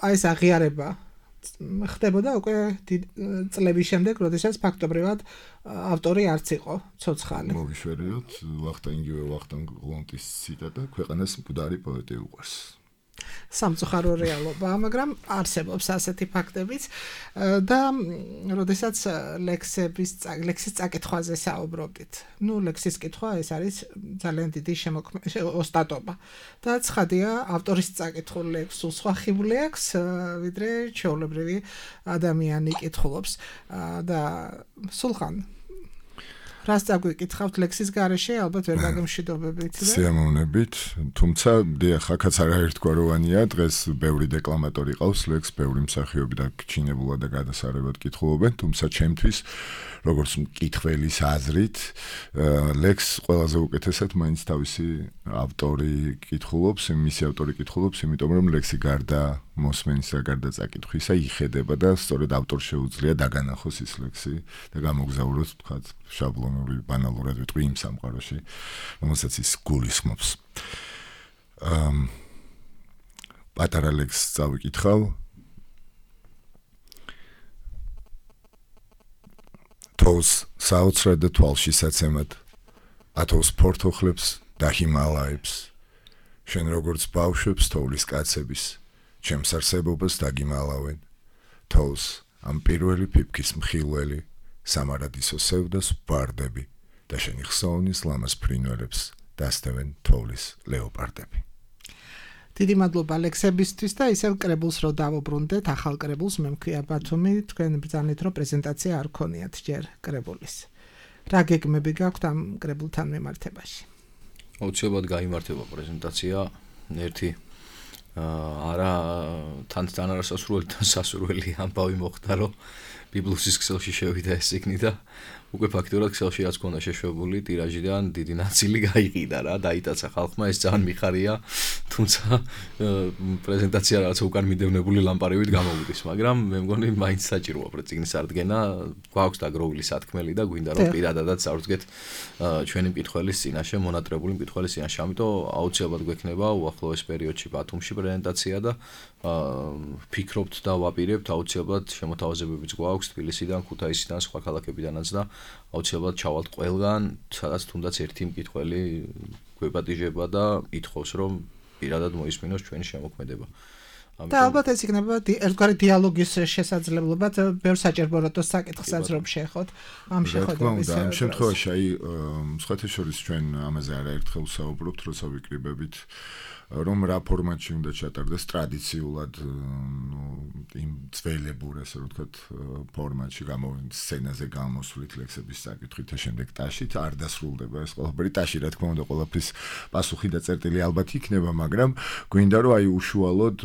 აი ეს აღიარება ხდებოდა უკვე წლების შემდეგ, როდესაც ფაქტობრივად ავტორი არც იყო ცოცხალი. მოვიშვერიოთ ვახტანგ გლონტის ციტატა, ქვეყანას მკვდარი პოეტი უყვარს. სამწუხარო რეალობა, მაგრამ არსებობს ასეთი ფაქტებიც და როდესაც ლექსის წაკითხვაზე საუბრობდით. ლექსის კითხვა ეს არის ძალიან დიდი ოსტატობა. და ცხადია, ავტორის წაკითხულ ლექსს სხვა ხიბლი აქვს, ვიდრე ჩვეულებრივი ადამიანი კითხულობს და სულხან რას წაგვიკითხავთ ლექსის გარეშე, ალბათ ვერ გაგემშვიდობებით და სიამოვნებით, თუმცა დიახ, აქაც არაერთგვაროვანია, დღეს ბევრი დეკლამატორი ყავს ლექსს, ბევრი მსახიობი და გჩინებულად და გადასარევად კითხულობენ, თუმცა ჩემთვის როგორც მკითხველის აზრით, ლექსს ყველაზე უკეთესად მაინც თავისი ავტორი კითხულობს, მისი ავტორი კითხულობს, იმიტომ რომ ლექსი გარდა მოსმენის და გარდა წაკითხვისა იხედება და სწორედ ავტორს შეუძლია დაგანახოს ის ლექსი და გამოგზაუროს, თქვათ, შაბლონური ბანალურად ვიტყვი იმ სამყაროში, რომელსაც ის გულისხმობს. პატარა ლექსს წავიკითხავ. თოვს საოცრად და თვალში საცემად, ათოვს ფორთოხლებს და ჰიმალაებს, შენ როგორც ბავშვებს თოვლის კაცების, ჩემს არსებობას დაგიმალავენ, თოვს ამ პირველი ფიფქის მხილველი, სამარადისო სევდას ვბარდები და შენი ხსოვნის ლამაზ ფრინველებს დასდევენ თოვლის ლეოპარდები. დიდი მადლობა ლექსებისთვის და ისევ კრებულს რო დავუბრუნდეთ, ახალ კრებულს მე მქვია ბათუმი, თქვენ ბრძანეთ რომ პრეზენტაცია არ ქონიათ ჯერ კრებულის. რა გეგმები გაქვთ ამ კრებულთან მიმართებაში? აუცილებლად გაიმართება პრეზენტაცია, ერთი არა თან არასასურველი და სასურველი ამბავი მოხდა, რომ ბიბლუსის ქსელში შევიდა ეს ციგნი და უკვე ფაქტურად ქსელში რაც ქონდა შეშვებული ტირაჟიდან დიდი ნაწილი გაიყიდა რა, დაიტაცა ხალხმა, ეს ძალიან მიხარია, თუმცა პრეზენტაცია რაც უკან მიდევნებული ლამპარივით გამოვიდეს, მაგრამ მე მგონი მაინც საჭიროა ციგნის ადგენა, გვაქვს დაგროვილი სათქმელი და გვინდა რომ პირადადაც ავსდგეთ ჩვენი მკითხველის წინაშე, მონატრებული მკითხველის წინაშე, ამიტომ აუცილებლად გვექნება უახლოეს პერიოდში ბათუმში პრეზენტაცია და ფიქრობთ და ვაპირებთ აუცილებლად შემოთავაზებებიც გვაქვს თბილისიდან, ქუთაისიდან, სხვა ქალაქებიდანაც და აუცილებლად ჩავალთ ყველგან, სადაც თუნდაც ერთი მკითხველი გვეპატიჟება და ითხოვს რომ პირადად მოისმინოს ჩვენი შემოქმედება. და ალბათ ეს იქნება ერთგვარი დიალოგის შესაძლებლობა, ბევრ საჭიროებათა საკითხსაც რომ შეეხოთ ამ შეხვედრების. ამ შემთხვევაში აი სხვათა შორის ჩვენ ამაზე არაერთხელ ვსაუბრობთ, როცა ვიკრიბებით რომ რა ფორმატში უნდა ჩატარდეს ტრადიციულად იმ ძველებურ ასე რომ ვთქვათ ფორმატში სცენაზე გამოსვლით ლექსების საკითხით და შემდეგ ტაშით არ დასრულდება ეს ყველაფერი ტაში რა თქმა უნდა ყველაფრის პასუხი და წერტილი ალბათ იქნება, მაგრამ გვინდა რომ აი უშუალოდ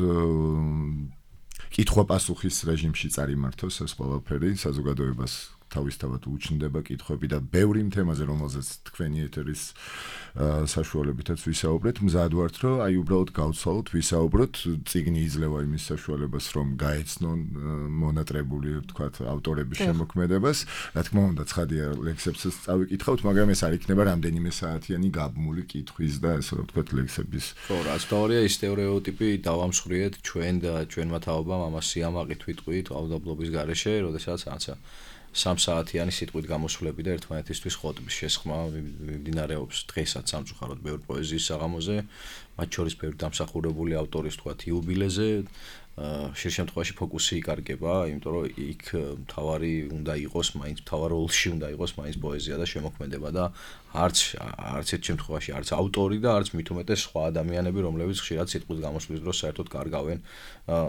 კითხვა-პასუხის რეჟიმში წარიმართოს ეს ყველაფერი საზოგადოებას თავისთავად უჩნდება კითხვები და ბევრი თემაზე, რომელზეც თქვენი ეთერის საშუალებითაც ვისაუბრეთ, მზად ვართ, რომ აი უბრალოდ გავცვალოთ, ვისაუბროთ, წიგნი იძლევა იმის საშუალებას, რომ გაეცნონ მონატრებული, ვთქვათ, ავტორების შემოქმედებას. რა თქმა უნდა, ცხადია, ლექსებსაც წავიკითხავთ, მაგრამ ეს არ იქნება რამდენიმე საათიანი გაბმული კითხვის და ასე რომ ვთქვათ, ლექსების. ხო, რაც თავია ის სტერეოტიპი დავამსხვრიეთ ჩვენ და ჩვენმა თაობამ ამას სიამაყით ვიტყვით ავდაბლობის გარეშე, როდესაც რაცა 3 საათიანი სიტყვით გამოსვლები და ერთმანეთისთვის ხოტბის შესხმა მიმდინარეობს დღესაც სამწუხაროდ ბევრ პოეზიის საღამოზე, მათ შორის ბევრი დამსახურებული ავტორის თქვათ იუბილეზე, ხშირ შემთხვევაში ფოკუსი იკარგება, იმიტომ რომ იქ მთავარი უნდა იყოს, მაინც მთავარ როლში უნდა იყოს მაინც პოეზია და შემოქმედება და არც ერთ შემთხვევაში არც ავტორი და არც მით უმეტეს სხვა ადამიანები, რომლებიც ხშირად სიტყვის გამოსვლის დროს საერთოდ კარგავენ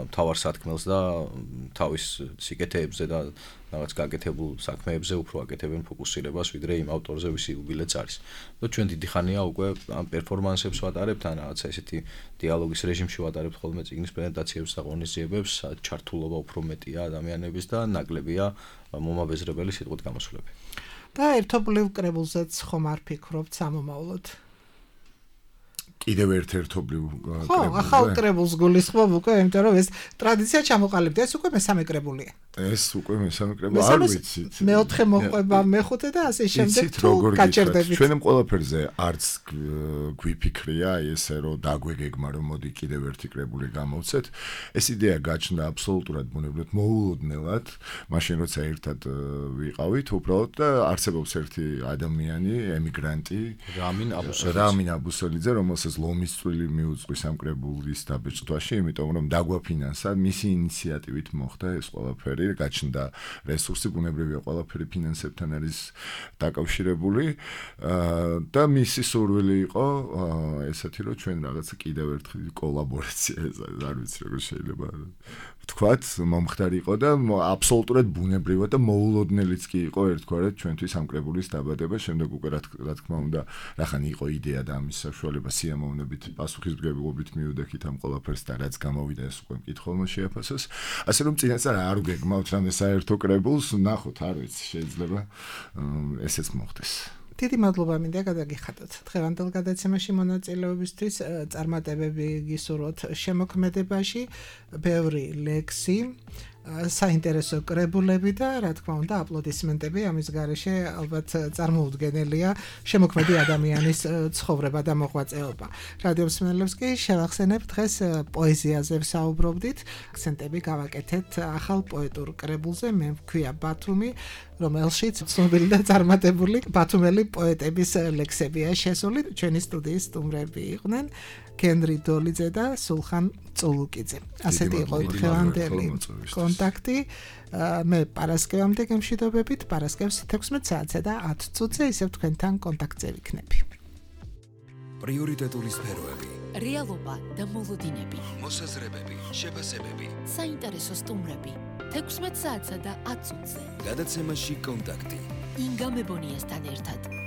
მთავარ სათქმელს და თავის სიკეთეებზე და რაღაც გაკეთებულ საქმეებზე უფრო აკეთებენ ფოკუსირებას, ვიდრე იმ ავტორზე, ვისი იუბილეც არის. და ჩვენ დიდი ხანია უკვე ამ პერფორმანსებს ვატარებთ, ან რაღაცა ესეთი დიალოგის რეჟიმში ვატარებთ ხოლმე წიგნის პრეზენტაციებს და ღონისძიებებს ჩართულობა უფრო მეტია ადამიანების და ნაკლებია მომაბეზრებელი სიტყვით გამოსვლები. და ერთობლივ კრებულზეც ხომ არ ფიქრობთ სამომავლოდ? კიდევ ერთ-ერთობლივ ხო, ახალ კრებულს გულისხმობ უკვე, იმიტომ რომ ეს ტრადიცია ჩამოყალიბდა, ეს უკვე მესამე კრებულია. ეს უკვე მესამე კრებული არ ვიცით. მეოთხე მოყვება, მეხუთე და ასე შემდეგ თუ გაჩერდებით. ჩვენემ ყველაფერზე არც გვიფიქრია ესე რომ დაგვეგეგმა რომ მოდი კიდევ ერთი კრებული გამოვცეთ. ეს იდეა გაჩნდა აბსოლუტურად ბუნებრივად მოულოდნელად, მაშინ როცა ერთად ვიყავით, უბრალოდ და არსებობს ერთი ადამიანი, ემიგრანტი, რამინ აბუსელიძე, რომელსაც ლომის წვლილი მიუძღვის ამ კრებულის დაბეჭდვაში, იმიტომ რომ დაგვაფინანსა, მისი ინიციატივით მოხდა ეს ყველაფერი. გაჩნდა რესურსი, ბუნებრივია ყველაფერი ფინანსებთან არის დაკავშირებული და მისი სურვილი იყო ესეთი რომ ჩვენ რაღაცა კიდევ ერთხელ კოლაბორაცია არ ვიცი როგორ შეიძლება ვთქვათ მომხდარიყო და აბსოლუტურად ბუნებრივად და მოულოდნელიც კი იყო ერთგვარად ჩვენთვის ამ კრებულის დაბადება შემდეგ უკვე რა თქმა უნდა რახან იყო იდეა და ამის საშუალება სიამოვნებით პასუხისმგებლობით მივდექით ამ ყველაფერს და რაც გამოვიდა ეს უკვე მკითხველმა შეაფასოს ასე რომ წინასწარ არ გეგმავთ რამე საერთო კრებულს ნახოთ არ ვიცი შეიძლება ესეც მოხდეს დიდი მადლობა მინდა გადაგიხადოთ დღევანდელ გადაცემაში მონაწილეობისთვის წარმატებები გისურვოთ შემოქმედებაში ბევრი ლექსი საინტერესო კრებულები და რა თქმა უნდა აპლოდისმენტები ამის გარეშე ალბათ წარმოუდგენელია შემოქმედი ადამიანის ცხოვრება და მოღვაწეობა. რადიო მსმენელებს კი შევახსენებ დღეს პოეზიაზე ვსაუბრობდით. აქცენტები გავაკეთეთ ახალ პოეტურ კრებულზე მე ვქვია ბათუმი რომელშიც ცნობილი და წარმატებული ბათუმელი პოეტების ლექსებია შესული. ჩვენი სტუდიის სტუმრები იყვნენ კენრი დოლიძე და სულხან წულუკიძე. ასეთი იყო დღევანდელი კონტაქტი. მე პარასკევამდე გემშვიდობებით, პარასკევს 16 საათზე და 10 წუთზე ისევ თქვენთან კონტაქტზე ვიქნები. პრიორიტეტული სფეროები, რეალობა და მოლოდინები, მოსაზრებები, შეფასებები, საინტერესო სტუმრები 16 საათსა და 10 წუთზე. გადაცემაში კონტაქტი. ინგა მებონიასთან ერთად.